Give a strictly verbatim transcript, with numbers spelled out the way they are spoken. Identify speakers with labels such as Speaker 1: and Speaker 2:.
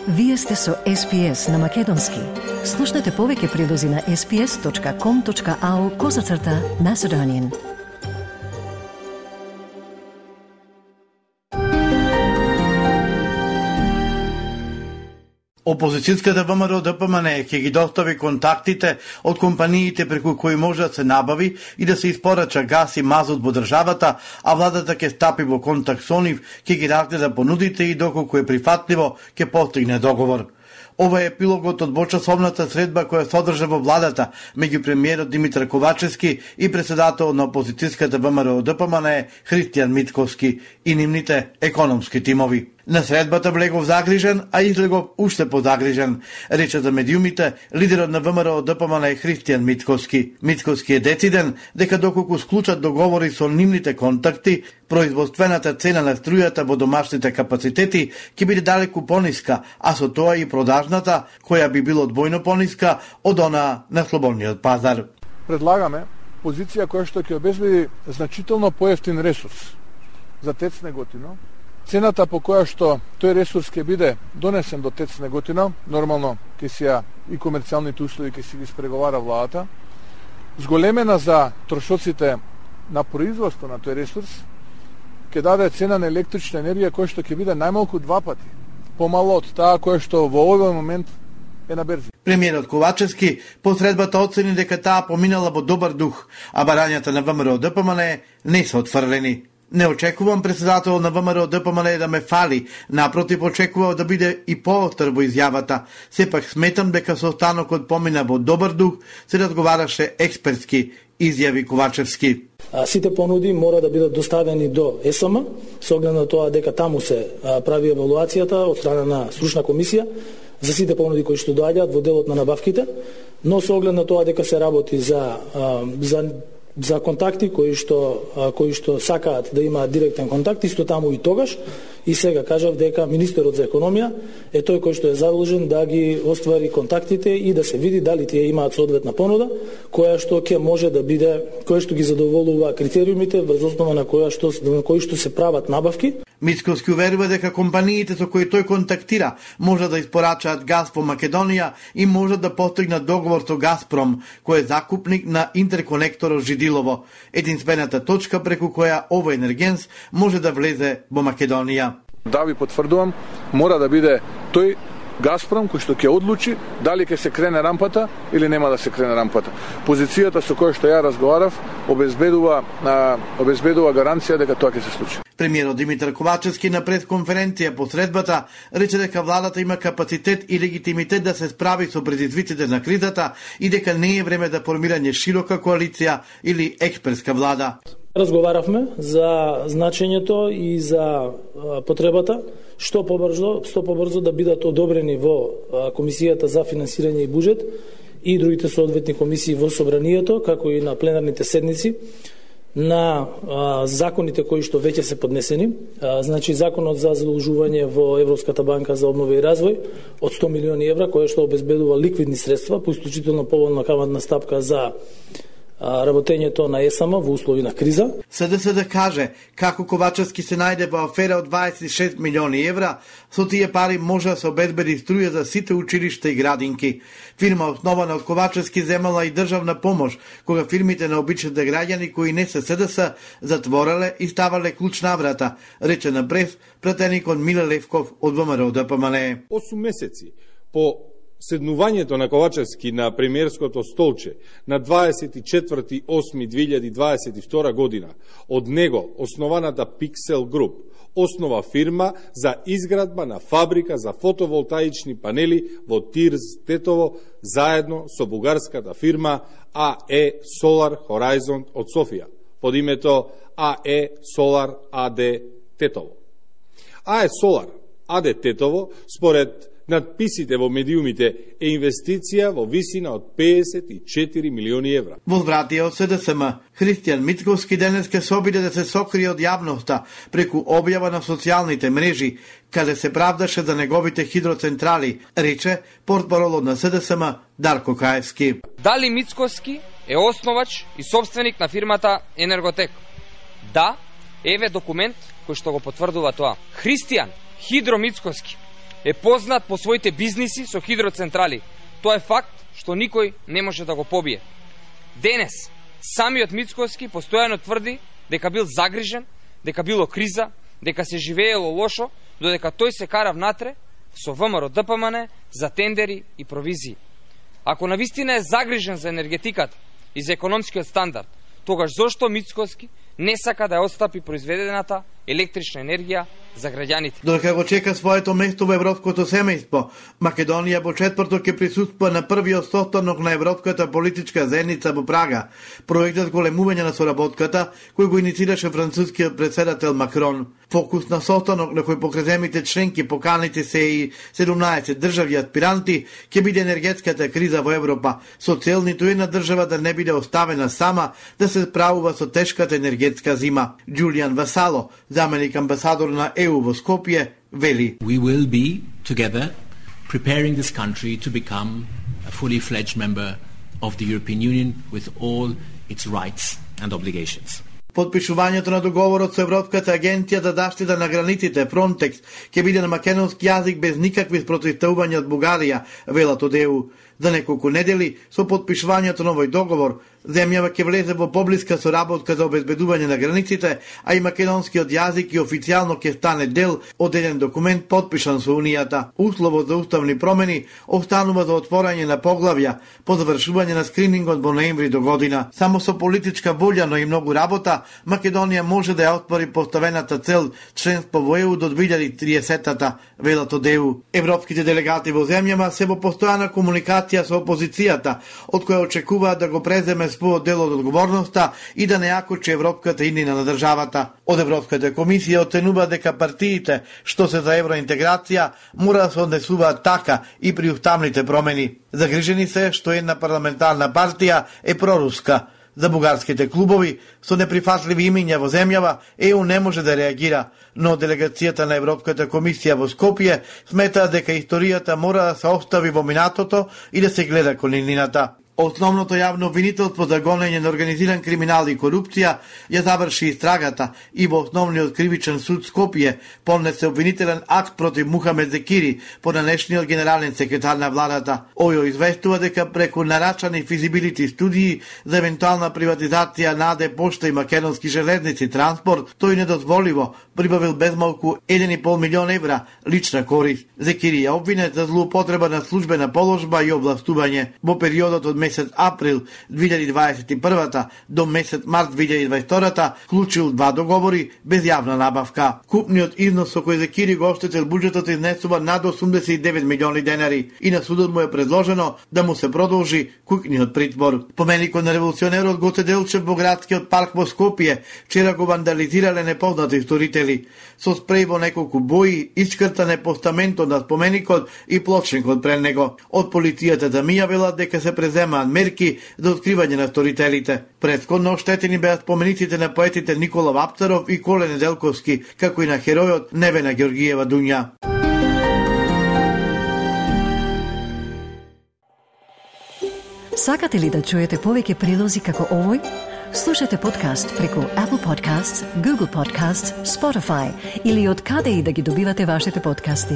Speaker 1: Вие сте со Ес Пи Ес на Македонски. Слушнете повеќе прилози на ес пи ес точка ком точка ау козацрта Macedonian.
Speaker 2: Опозицијската ВМРО Д П М Н ќе ги достави контактите од компаниите преку кои може да се набави и да се испорача газ и мазут во државата, а владата ќе стапи во контакт со нив, ќе ги разгледа понудите и доколку е прифатливо, ќе постигне договор. Ова е епилогот од двочасовната средба која се одржа во владата меѓу премиерот Димитар Ковачевски и председател на опозицијската ВМРО Д П М Н Христијан Мицкоски и нивните економски тимови. На средбата влегов загрижен, а излегов уште позагрижен, рече за медиумите лидерот на ВМРО Д П М Н Христијан Мицкоски. Мицкоски е дециден дека доколку склучат договори со нивните контакти, производствената цена на струјата во домашните капацитети ќе биде далеку пониска, а со тоа и продажната, која би било двојно пониска од она на слободниот пазар.
Speaker 3: Предлагаме позиција која што ќе обезбеди значително поевтин ресурс за ТЕЦ Неготино. Цената по која што тој ресурс ќе биде донесен до ТЕЦ Неготино, нормално ќе си ја и комерцијалните услови ќе си ги спреговара владата, зголемена за трошоците на производство на тој ресурс, ќе даде цена на електрична енергија која што ќе биде најмалку два пати помало од таа која што во овој момент е на берзи.
Speaker 2: Премиерот Ковачевски по средбата оцени дека таа поминала во добар дух, а барањата на ВМРО Д П М Н не се отфрлени. Не очекувам председател на ВМРО Д П М Н да ме фали, напротив очекував да биде и пооштар во изјавата. Сепак сметам дека состанокот помина во добар дух, се разговараше експертски, изјави Ковачевски.
Speaker 4: Сите понуди мора да бидат доставени до Е С М, со оглед на тоа дека таму се прави евалуацијата од страна на стручна комисија за сите понуди кои што доаѓаат во делот на набавките, но со оглед на тоа дека се работи за за за контакти кои што кои што сакаат да имаат директен контакт, исто таму и тогаш, и сега кажав дека министерот за економија е тој кој што е задолжен да ги оствари контактите и да се види дали тие имаат соодветна понуда која што ќе може да биде, која што ги задоволува критериумите врз основа на која што на кои што се прават набавки.
Speaker 2: Мицкоски уверува дека компаниите со кои тој контактира можат да испорачаат газ во Македонија и можат да постигнат договор со Газпром, кој е закупник на интерконекторот Жидилово, единствената точка преку која овој енергенс може да влезе во Македонија.
Speaker 3: Да ви потврдувам, мора да биде тој Газпром кој што ќе одлучи дали ќе се крене рампата или нема да се крене рампата. Позицијата со која што ја разговарав обезбедува а, обезбедува гаранција дека тоа ќе се случи.
Speaker 2: Премиерот Димитар Ковачевски на пресконференција по средбата рече дека владата има капацитет и легитимитет да се справи со предизвиците на кризата и дека не е време за формирање широка коалиција или експертска влада.
Speaker 4: Разговаравме за значењето и за потребата што побрзо, што побрзо да бидат одобрени во Комисијата за финансирање и буџет и другите соодветни комисии во собранието, како и на пленарните седници на а, законите кои што веќе се поднесени. А, значи законот за задолжување во Европската банка за обнова и развој од сто милиони евра, која што обезбедува ликвидни средства по исклучително поволна каматна стапка за работењето на Е С М во услови на криза.
Speaker 2: С Д С да каже како Ковачевски се најде во афера од дваесет и шест милиони евра, со тие пари може да се обезбеди струја за сите училишта и градинки. Фирма основана од Ковачевски земала и државна помош, кога фирмите на обичните граѓани кои не се С Д С затвореле и ставале клуч на врата, рече на прес пратеникот Миле Левков од ВМРО Д П М Н.
Speaker 5: осум месеци по седнувањето на Ковачевски на премиерското столче на дваесет и четврти осми две илјади дваесет и втора година, од него основаната Pixel Group основа фирма за изградба на фабрика за фотоволтаични панели во Тирз Тетово заедно со бугарската фирма А Е Solar Horizon од Софија под името А Е Solar А Д Тетово. А Е Solar А Д Тетово според надписите во медиумите е инвестиција во висина од педесет и четири милиони евра.
Speaker 2: Возвратија од С Д С М, Христијан Мицкоски денеска се обиде да се сокрие од јавноста преку објава на социјалните мрежи, каде се правдаше за неговите хидроцентрали, рече портпаролот на С Д С М Дарко Каевски.
Speaker 6: Дали Мицкоски е основач и собственик на фирмата Енерготек? Да, еве документ кој што го потврдува тоа. Христијан Хидро Мицкоски е познат по своите бизниси со хидроцентрали. Тоа е факт што никој не може да го побие. Денес, самиот Мицкоски постојано тврди дека бил загрижен, дека било криза, дека се живеело лошо, додека тој се кара внатре со ВМРО Д П М Н за тендери и провизии. Ако навистина е загрижен за енергетиката и за економскиот стандард, тогаш зошто Мицкоски не сака да ја отстапи произведената електрична енергија за граѓаните?
Speaker 2: Додека го чека своето место во европското семејство, Македонија во четврток ќе присуствува на првиот состанок на Европската политичка заедница во Прага. Проектот големување на соработката, кој го иницираше францускиот председател Макрон. Фокус на состанок на кој покрај земјите членки поканите се и седумнаесет држави аспиранти ќе биде енергетската криза во Европа, со цел ниту една држава да не биде оставена сама да се справува со тешката енергетска зима. Џулијан Васало, заменик амбасадор на Е У во Скопје, вели:
Speaker 7: We will be together preparing this country to become a fully fledged member of the European Union with all its rights and obligations.
Speaker 2: Подпишувањето на договорот со Европската агенција за заштита на границите Фронтекс ќе биде на македонски јазик без никакви спротивставувања од Бугарија, велат од Е У. За неколку недели, со подпишувањето на овој договор, земјава ќе влезе во поблиска соработка за обезбедување на границите, а и македонскиот јазик и официјално ќе стане дел од еден документ подпишан со Унијата. Условот за уставни промени останува за отворање на поглавја по завршување на скринингот во ноември до година. Само со политичка волја, но и многу работа, Македонија може да ја отвори поставената цел членство во Е У до две илјади и триесеттата, велат од Е У. Европските делегати во земјава се во постојана комуникација со опозицијата, од која очекуваат да го преземе својот дел од одговорноста и да не јакочи европската иднина на државата. Од Европската комисија оценува дека партиите што се за евроинтеграција мора да се однесуваат така и при уставните промени. Загрижени се што една парламентарна партија е проруска. За бугарските клубови со неприфатливи имиња во земјава Е У не може да реагира, но делегацијата на Европската комисија во Скопје смета дека историјата мора да се остави во минатото и да се гледа кон иднината. Основното јавно обвинителство за гонење на организиран криминал и корупција ја заврши истрагата и во основниот кривичен суд Скопје поднесе обвинителен акт против Мухамед Зекири, понанешниот генерален секретар на владата. Ојо известува дека преку нарачани физибилити студии за евентуална приватизација на А Д Пошта и Македонски железници транспорт, тој недозволиво прибавил безмалку еден и пол милион евра лична корист. Зекири ја обвинет за злоупотреба на службена положба и областување. Во периодот од месец април две илјади дваесет и прва до месец март две илјади дваесет и втора вклучил два договори без јавна набавка. Купниот износ со кој Зекири го оштетил буџетот изнесува над осумдесет и девет милиони денари и на судот му е предложено да му се продолжи куќниот притвор. Поменикот на револуционерот Гоце Делчев во градскиот парк во Скопје вчера го вандализирале непознати сторители. Со спреј во неколку бои искртан е постаментот на споменикот и плочникот пред него. Од полицијата замијавила дека се презема мерки за откривање на сторителите. Претходно оштетени беа спомениците на поетите Никола Вапцаров и Коле Неделковски, како и на херојот Невена Георгиева Дуња.
Speaker 1: Сакате ли да чуете повеќе прилози како овој? Слушате подкаст преку Apple Podcasts, Google Podcasts, Spotify или од каде и да ги добивате вашите подкасти.